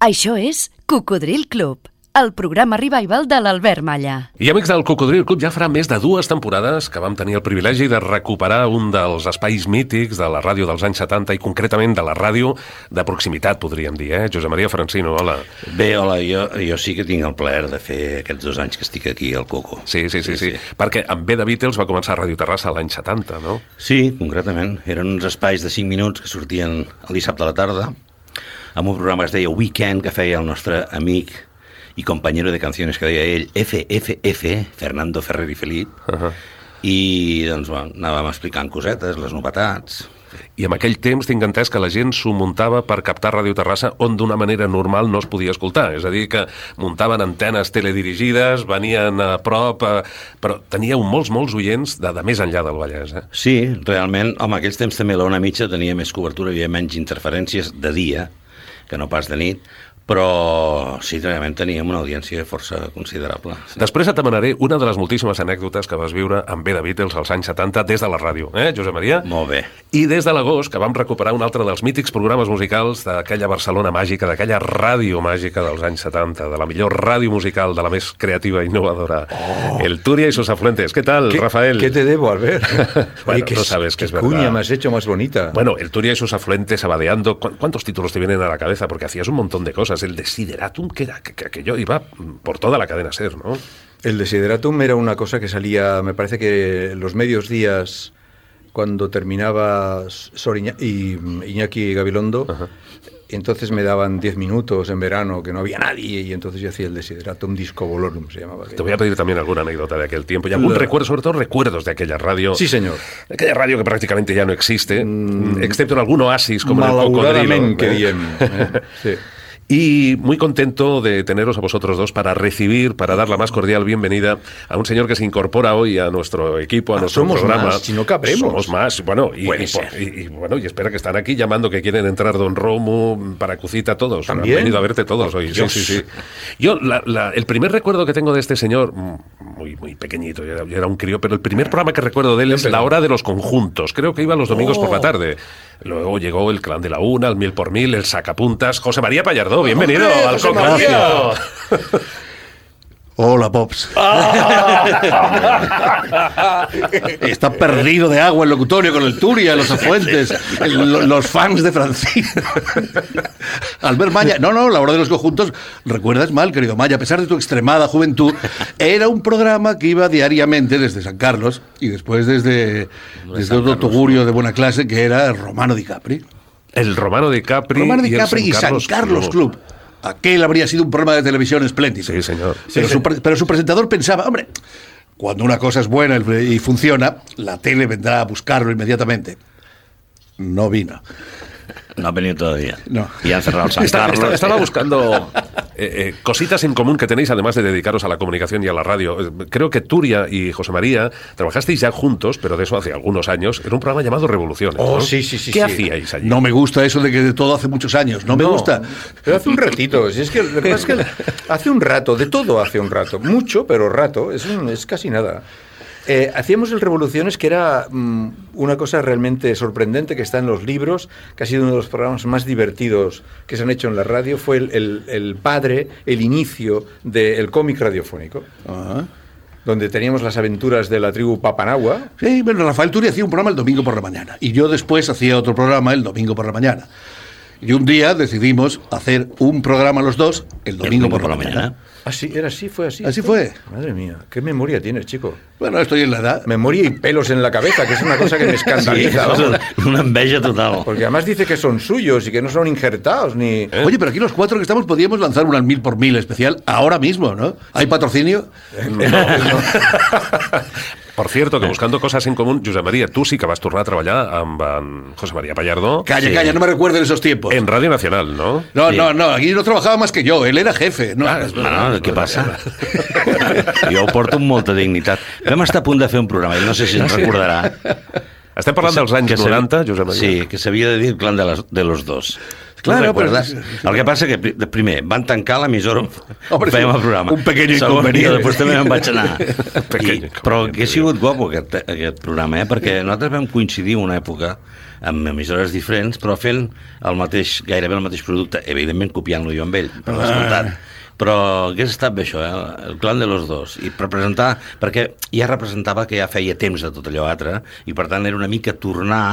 Això és Cocodril Club, el programa revival de l'Albert Malla. I amics del Cocodril Club, ja farà més de 2 temporades que vam tenir el privilegi de recuperar un dels espais mítics de la ràdio dels anys 70 i concretament de la ràdio de proximitat, podríem dir, Josep Maria Francino, hola. Bé, hola, jo sí que tinc el plaer de fer aquests 2 anys que estic aquí al Coco. Sí. Perquè amb B de Beatles va començar a Ràdio Terrassa l'any 70, no? Sí, concretament. Eren uns espais de 5 minuts que sortien el dissabte a la tarda, amb un programa que es deia Weekend, que feia el nostre amic i companyero de canciones que deia ell, FFF, Fernando Ferrer i Felip, i doncs anàvem explicant cosetes, les novetats. I en aquell temps tinc entès que la gent s'ho muntava per captar Ràdio Terrassa on d'una manera normal no es podia escoltar, és a dir, que muntaven antenes teledirigides, venien a prop, però teníeu molts oients de més enllà del Vallès, Sí, realment, home, aquells temps també l'Ona Mitja tenia més cobertura, hi havia menys interferències de dia que no pas de nit, però sí, realment teníem una audiència força considerable. Sí. Després et demanaré una de les moltíssimes anècdotes que vas viure amb B de Beatles als anys 70 des de la ràdio, Josep Maria? Molt bé. I des de l'agost, que vam recuperar un altre dels mítics programes musicals d'aquella Barcelona màgica, d'aquella ràdio màgica dels anys 70, de la millor ràdio musical, de la més creativa i innovadora. El Turia y sus afluentes. ¿Qué tal, Rafael? ¿Qué te debo, Albert? Bueno, no sabes que es verdad. ¿Qué cuña me has hecho más bonita? Bueno, el Turia y sus afluentes, abadeando. ¿Cuántos títulos te vienen a la cabeza? Porque hacías un montón de cosas. El Desideratum, que era que yo iba por toda la cadena SER, ¿no? El Desideratum era una cosa que salía, me parece que los medios días, cuando terminaba Iñaki Gabilondo, y entonces me daban 10 minutos en verano, que no había nadie, y entonces yo hacía el Desideratum Disco Volorum, se llamaba. Te voy a pedir también alguna anécdota de aquel tiempo, y algún recuerdo, sobre todo recuerdos de aquella radio. Sí, señor. De aquella radio que prácticamente ya no existe, excepto en algún oasis, como en el Cocodrilo. Que bien. Sí. Y muy contento de teneros a vosotros dos para recibir, para dar la más cordial bienvenida a un señor que se incorpora hoy a nuestro equipo, a nuestro programa. Más, si no cabremos. Somos más, bueno, y espera que están aquí llamando que quieren entrar Don Romu, Paracucita, todos. ¿También? Han venido a verte todos hoy. Sí. Yo, el primer recuerdo que tengo de este señor, muy pequeñito, yo era un crío, pero el primer programa que recuerdo de él es La Hora de los Conjuntos. Creo que iba los domingos por la tarde. Luego llegó el Clan de la Una, el Mil por Mil, el Sacapuntas, José María Pallardó. Bienvenido al Cocodrilo. Hola, Pops. Está perdido de agua el locutorio con el Turia, los afluentes, los fans de Francisco. Albert Malla. No, La Hora de los Conjuntos, recuerdas mal, querido Malla, a pesar de tu extremada juventud, era un programa que iba diariamente desde San Carlos y después desde otro tugurio de buena clase que era Romano Di Capri. El Romano Di Capri y San Carlos Club. Aquel habría sido un programa de televisión espléndido. Sí, señor. Pero su presentador pensaba, hombre, cuando una cosa es buena y funciona, la tele vendrá a buscarlo inmediatamente. No vino. No ha venido todavía. No. Y han cerrado el San Carlos. Estaba buscando cositas en común que tenéis, además de dedicaros a la comunicación y a la radio. Creo que Turia y José María trabajasteis ya juntos, pero de eso hace algunos años. Era un programa llamado Revoluciones, ¿no? Sí. ¿Qué hacíais allí? No me gusta eso de que de todo hace muchos años. No me gusta. Pero hace un ratito. Si es que lo que pasa es que hace un rato, de todo hace un rato. Mucho, pero rato. Es casi nada. Hacíamos el Revoluciones, que era una cosa realmente sorprendente, que está en los libros, que ha sido uno de los programas más divertidos que se han hecho en la radio. Fue el padre, el inicio del cómic radiofónico. Donde teníamos las aventuras de la tribu Papanagua. Sí, bueno, Rafael Turia hacía un programa el domingo por la mañana y yo después hacía otro programa el domingo por la mañana. Y un día decidimos hacer un programa los dos el domingo por la mañana. Así, fue así. Así fue. Madre mía, qué memoria tienes, chico. Bueno, estoy en la edad. Memoria y pelos en la cabeza, que es una cosa que me escandaliza. Sí, una envidia total. Porque además dice que son suyos y que no son injertados ni... Oye, pero aquí los 4 que estamos podríamos lanzar un al 1000 por 1000 especial ahora mismo, ¿no? ¿Hay patrocinio? No. Por cierto, que buscando cosas en común, Josep María, tu sí que vas tornar a treballar amb José María Pallardó. Calla, no me recuerden esos tiempos. En Radio Nacional, ¿no? No, aquí no trabajaba más que yo, él era jefe. No, què passa? Jo ho porto amb molta dignitat. Vam estar a punt de fer un programa, i no sé si ens recordarà. Estem parlant dels anys 90, Josep Maria. Sí, que s'havia de dir el clan de los dos. Claro, el que passa que, primer, van tancar l'emissora, fèiem el programa. Un pequeño inconvenient. Després també me'n vaig anar. Però que ha sigut guapo aquest programa, perquè nosaltres vam coincidir una època amb emissores diferents, però fent gairebé el mateix producte, evidentment copiant-lo jo amb ell, per descomptat. Però hagués estat bé això, el clan de los dos, i per presentar, perquè ja representava que ja feia temps de tot allò altre, i per tant era una mica tornar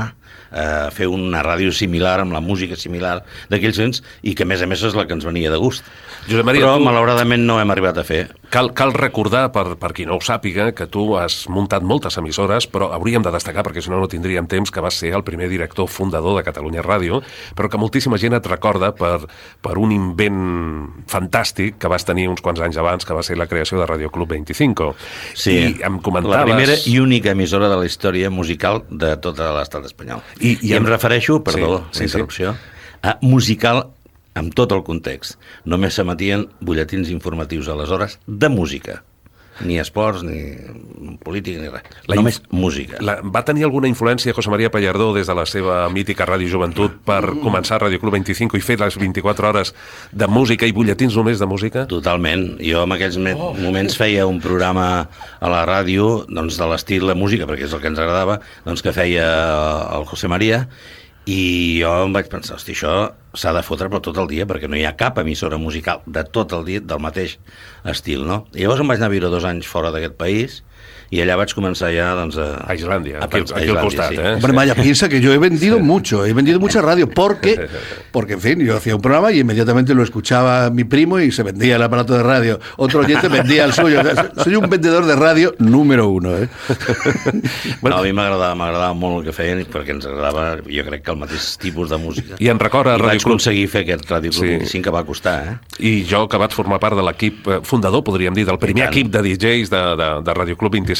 a fer una ràdio similar, amb la música similar d'aquells anys, i que a més és la que ens venia de gust. Josep Maria, però malauradament no hem arribat a fer. Cal recordar, per qui no ho sàpiga, que tu has muntat moltes emissores, però hauríem de destacar, perquè si no tindríem temps, que vas ser el primer director fundador de Catalunya Ràdio, però que moltíssima gent et recorda per un invent fantàstic que vas tenir uns quants anys abans, que va ser la creació de Radio Club 25. Sí, I em comentaves... la primera i única emissora de la història musical de tot l'estat espanyol. I em refereixo, perdó, la interrupció, a musical amb tot el context. Només s'emetien butlletins informatius aleshores de música. Ni esports, ni política, ni res. Només música. Va tenir alguna influència José María Pallardó des de la seva mítica Ràdio Joventut per començar Ràdio Club 25 i fer les 24 hores de música i butlletins només de música? Totalment. Jo en aquells moments feia un programa a la ràdio doncs, de l'estil de música, perquè és el que ens agradava, doncs, que feia el José María, i jo em vaig pensar, hosti, això s'ha de fotre per tot el dia, perquè no hi ha cap emissora musical de tot el dia del mateix estil, no? I llavors em vaig anar a viure 2 anys fora d'aquest país, y allá vas a comenzar ya a Islandia, aquí al costat, sí. Hombre, Maya, piensa que yo he vendido mucho, he vendido mucha radio, porque, en fin, yo hacía un programa y inmediatamente lo escuchaba mi primo y se vendía el aparato de radio. Otro oyente vendía el suyo. Soy un vendedor de radio número 1, ¿eh? Bueno, a mi m'agradava molt el que feien, perquè ens agradava, jo crec que el mateix tipus de música. I en recorda Ràdio Club. Vaig aconseguir fer aquest Ràdio Club 25 que va costar, eh? I jo, que vaig formar part de l'equip fundador, podríem dir, del primer equip de DJs de Ràdio Club 25,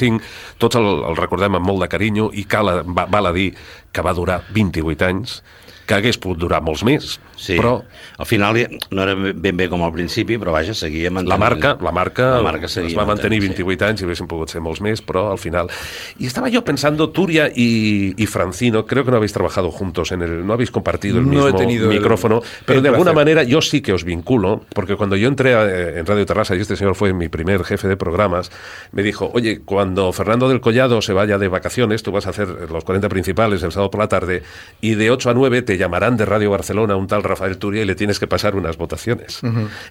tots el recordem amb molt de carinyo i val a dir que va durar 28 anys, que hagués pogut durar molts més, sí, però... Al final no era ben bé com al principi, però vaja, seguia mantenint... La marca es va mantenir 28 anys i haguessin pogut ser molts més, però al final... Y estaba yo pensando, Turia y Francino, creo que no habéis trabajado juntos, no habéis compartido el mismo micrófono, pero de alguna manera yo sí que os vinculo, porque cuando yo entré en Radio Terrassa, y este señor fue mi primer jefe de programas, me dijo, oye, cuando Fernando del Collado se vaya de vacaciones, tú vas a hacer los 40 principales el sábado por la tarde, y de 8 a 9 te llamarán de Radio Barcelona un tal Rafael Turia y le tienes que pasar unas votaciones.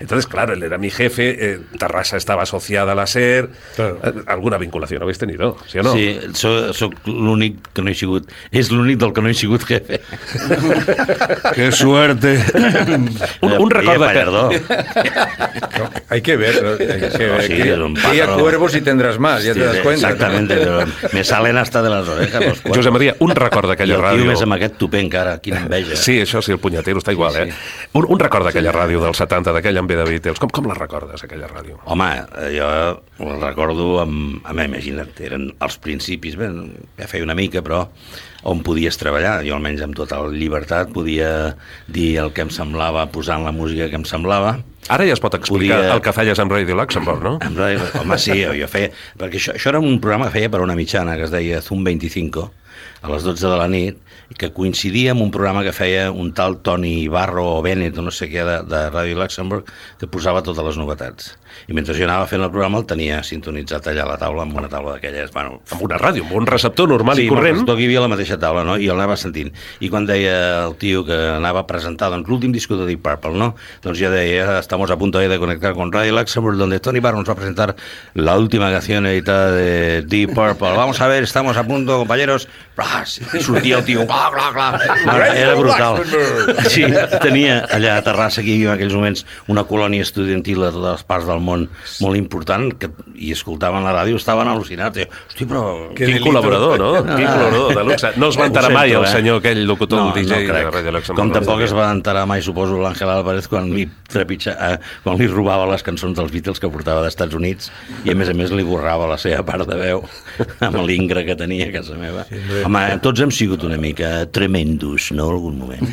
Entonces, claro, él era mi jefe, Terrassa estaba asociada a la SER, claro. ¿Alguna vinculación habéis tenido? ¿Sí o no? Sí, soc l'únic que no he sigut, és l'únic del que no he sigut jefe. ¡Qué suerte! un record no, hay que ver, cría cuervos y tendrás más, ya te das cuenta. Exactamente, pero me salen hasta de las orejas. Josep Maria, un record d'aquella ràdio... I el tio més amb aquest tupé encara, quina enveja. Sí, això sí, el punyetero està igual, sí. Un record d'aquella ràdio dels 70, d'aquella amb de Beatles. Com la recordes, aquella ràdio? Home, jo la recordo imagina't, eren els principis, bé, ja feia una mica, però on podies treballar. Jo almenys amb total llibertat podia dir el que em semblava, posant la música que em semblava. Ara ja es pot explicar el que feies amb Radio Luxembourg, no? Home, sí, jo feia... Perquè això era un programa que feia per una mitjana, que es deia Zoom 25, a les 12 de la nit, que coincidia amb un programa que feia un tal Toni Ibarro o Bennett o no sé què de Radio Luxembourg, que posava totes les novetats. I mentre jo anava fent el programa el tenia sintonitzat allà a la taula, amb una taula d'aquelles... Bueno, amb una ràdio, amb un receptor normal i corrent. Sí, amb hi havia la mateixa taula, no? I el anava sentint. I quan deia el tio que anava a presentar doncs, l'últim disco de Deep Purple, no? Doncs jo deia, estamos a punto de conectar con Radio Luxembourg, donde Toni Ibarro nos va a presentar la última canción editada de Deep Purple. Vamos a ver, estamos a punto, compañeros. I sortia el tio, era brutal. Sí, tenia allà a Terrassa, aquí en aquells moments, una colònia estudiantil de totes les parts del món molt important, i escoltaven la ràdio, estaven al·lucinats. Hosti, però... Quin col·laborador, no? Quin col·laborador de luxe. No es va enterar mai el senyor, aquell locutor DJ de Radio Luxembourg. Com tampoc es va enterar mai, suposo, l'Àngel Álvarez quan li robava les cançons dels Beatles que portava d'Estats Units i a més li borrava la seva part de veu amb l'ingre que tenia a casa meva. Home, tots hem sigut una mica tremendos, no?, algun moment.